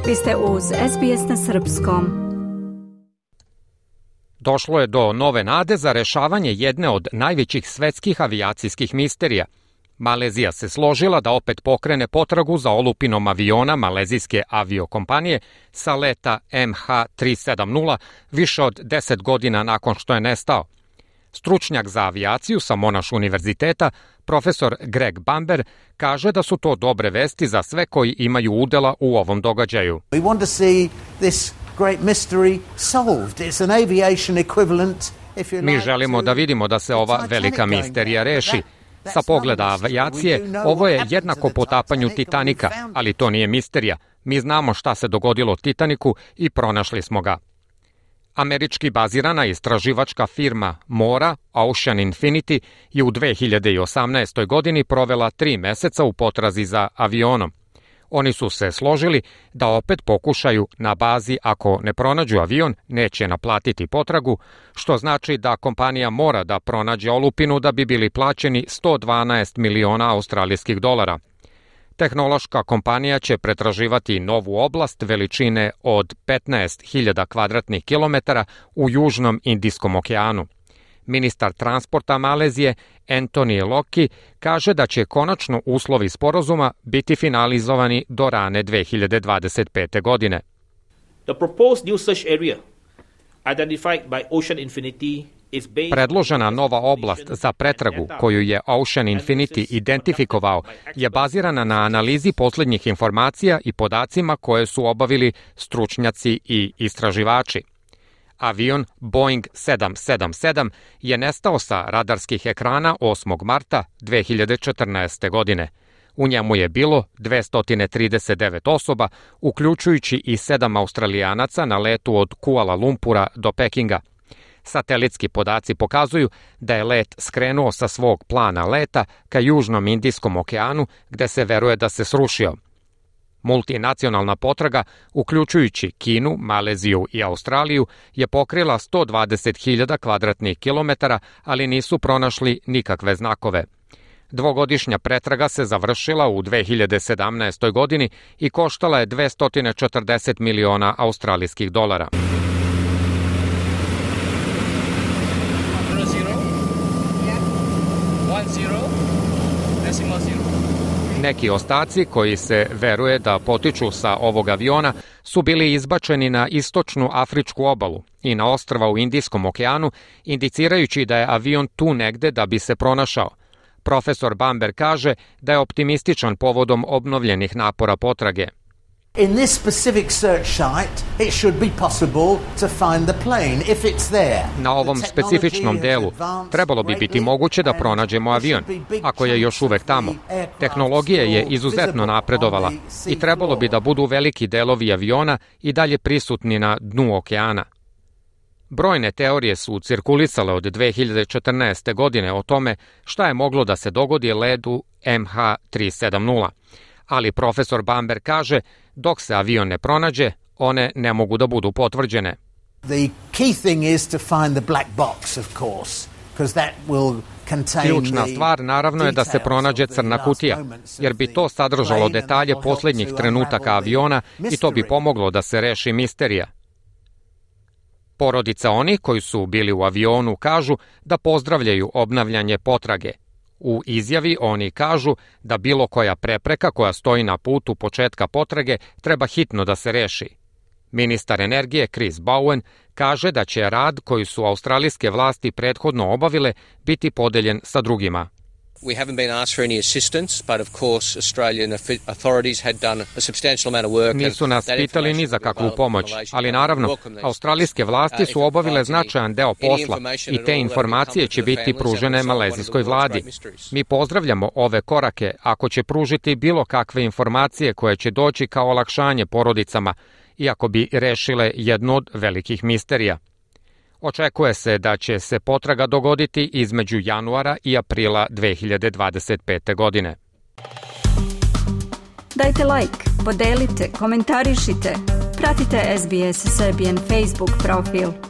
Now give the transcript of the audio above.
Vi ste uz SBS na srpskom. Došlo je do nove nade za rešavanje jedne od najvećih svetskih avijacijskih misterija. Malezija se složila da opet pokrene potragu za olupinom aviona malezijske aviokompanije sa leta MH370 više od 10 godina nakon što je nestao. Stručnjak za avijaciju sa Monash univerziteta, profesor Greg Bamber, kaže da su to dobre vesti za sve koji imaju udela u ovom događaju. We want to see this great mystery solved. It's an aviation equivalent. Mi želimo da vidimo da se ova velika misterija reši. Sa pogleda avijacije, ovo je jednako potapanju Titanika, ali to nije misterija. Mi znamo šta se dogodilo Titaniku i pronašli smo ga. Američki bazirana istraživačka firma mora, Ocean Infinity, je u 2018. godini provela 3 meseca u potrazi za avionom. Oni su se složili da opet pokušaju na bazi ako ne pronađu avion, neće naplatiti potragu, što znači da kompanija mora da pronađe olupinu da bi bili plaćeni 112 miliona australijskih dolara. Tehnološka kompanija će pretraživati novu oblast veličine od 15.000 kvadratnih kilometara u Južnom Indijskom okeanu. Ministar transporta Malezije Anthony Loki kaže da će konačno uslovi sporazuma biti finalizovani do rane 2025. godine. The proposed new search area identified by Ocean Infinity Predložena nova oblast za pretragu koju je Ocean Infinity identifikovao je bazirana na analizi poslednjih informacija i podacima koje su obavili stručnjaci i istraživači. Avion Boeing 777 je nestao sa radarskih ekrana 8. marta 2014. godine. U njemu je bilo 239 osoba, uključujući i 7 Australijanaca na letu od Kuala Lumpura do Pekinga. Satelitski podaci pokazuju da je let skrenuo sa svog plana leta ka Južnom Indijskom okeanu, gde se veruje da se srušio. Multinacionalna potraga, uključujući Kinu, Maleziju i Australiju, je pokrila 120.000 kvadratnih kilometara, ali nisu pronašli nikakve znakove. Dvogodišnja pretraga se završila u 2017. godini i koštala je 240 miliona australijskih dolara. Neki ostaci koji se veruje da potiču sa ovog aviona su bili izbačeni na istočnu afričku obalu i na ostrva u Indijskom okeanu, indicirajući da je avion tu negde da bi se pronašao. Profesor Bamber kaže da je optimističan povodom obnovljenih napora potrage. In this specific search site, it should be possible to find the plane if it's there. Na ovom specifičnom delu trebalo bi biti moguće da pronađemo avion, ako je još uvek tamo. Tehnologija je izuzetno napredovala i trebalo bi da budu veliki delovi aviona i dalje prisutni na dnu okeana. Brojne teorije su cirkulisale od 2014. godine o tome šta je moglo da se dogodi ledu MH370. Ali profesor Bamber kaže, dok se avion ne pronađe, one ne mogu da budu potvrđene. The key thing is to find the black box, of course, because that will contain Ključna stvar naravno je da se pronađe crna kutija, jer bi to sadržalo detalje poslednjih trenutaka aviona i to bi pomoglo da se reši misterija. Porodica onih koji su bili u avionu kažu da pozdravljaju obnavljanje potrage. U izjavi oni kažu da bilo koja prepreka koja stoji na putu početka potrage treba hitno da se reši. Ministar energije Chris Bowen kaže da će rad koji su australijske vlasti prethodno obavile biti podeljen sa drugima. We haven't been asked for any assistance, but of course Australian authorities had done a substantial amount of work. Nisu nas pitali ni za kakvu pomoć, ali naravno, australijske vlasti su obavile značajan deo posla i te informacije će biti pružene malezijskoj vladi. Mi pozdravljamo ove korake ako će pružiti bilo kakve informacije koje će doći kao olakšanje porodicama, iako bi rešile jednu od velikih misterija. Očekuje se da će se potraga dogoditi između januara i aprila 2025. godine. Dajte like, podelite, komentarišite. Pratite SBS Serbian Facebook profil.